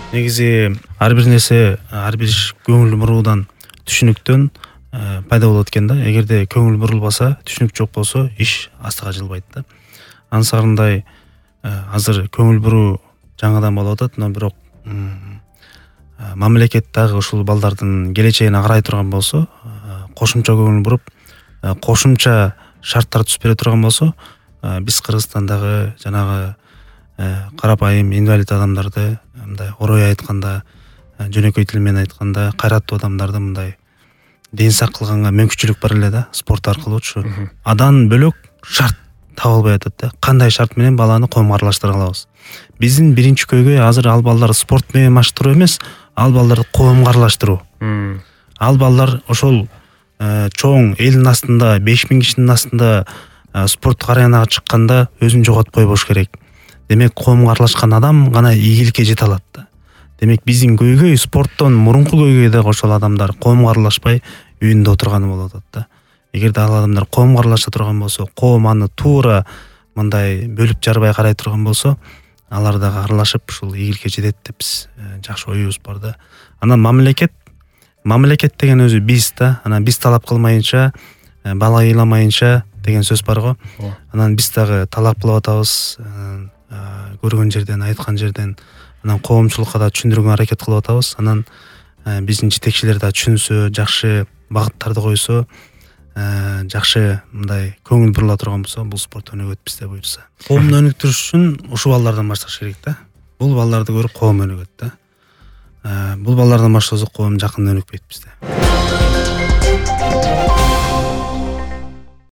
Негизи ар бир нерсе, ар бир иш көңүл буруудан, түшүнүктөн пайда болот экен да. Эгерде көңүл бурулбаса, түшүнүк жок болсо, иш астыга жылбайт да. Ансарындай азыр көңүл буруу жаңыдан болуп атат, но бирок мамлекет дагы ушул балдардын келечегине карай турган болсо, кошумча көңүл буруп, кошумча шарттар түзүп бере турган болсо, биз Кыргызстандагы жанагы карапайым инвалид адамдарды мындай орой айтканда, жөнөкөй тил менен айтканда, кайраттуу адамдарды мындай ден сак кылганга мүмкүнчүлүк бар эле да, спорт аркылуучу. Адан бөлөк шарт таба албай атат да. Кандай шарт менен баланы коомго аралаштыра алабыз? Биздин биринчи көйгөй азыр ал балдар спорт менен маштыруу эмес, ал балдарды коомго аралаштыруу. Ал балдар ошол чоң элдин астында, 5000 кишинин астында спорттук аренага чыкканда өзүн жоготпой болуш керек. Демек, коомго аралашкан адам гана ийгиликке жете алат да. Демек, биздин көйгөй спорттон мурунку көйгөй дагы ошол адамдар коомго аралашпай үйүндө отурганы болуп атат да. Эгерде ал адамдар коомго аралаша турган болсо, коом аны туура мындай бөлүп жарбай карай турган болсо, алар дагы аралашып ушул ийгиликке жетет деп биз жакшы оюбуз бар да. Анан мамлекет деген өзү биз да. Анан биз талап кылмайынча, бала ыйламайынча деген сөз бар го. Анан биз дагы талап кылып атабыз, көргөн жерден, айткан жерден, анан коомчулукка да түшүндүрүүгө аракет кылып атабыз. Анан биздин жетекчилер да түшүнсө, жакшы багыттарды койсо, жакшы мындай көңүл бурула турган болсо, бул спорт өнүгөт бизде буюрса. Коомду өнүктүрүш үчүн ушул балдардан башташ керек да. Бул балдарды көрүп коом өнүгөт да. Бул балдардан баштасак коом жакында өнүкпөйт бизде.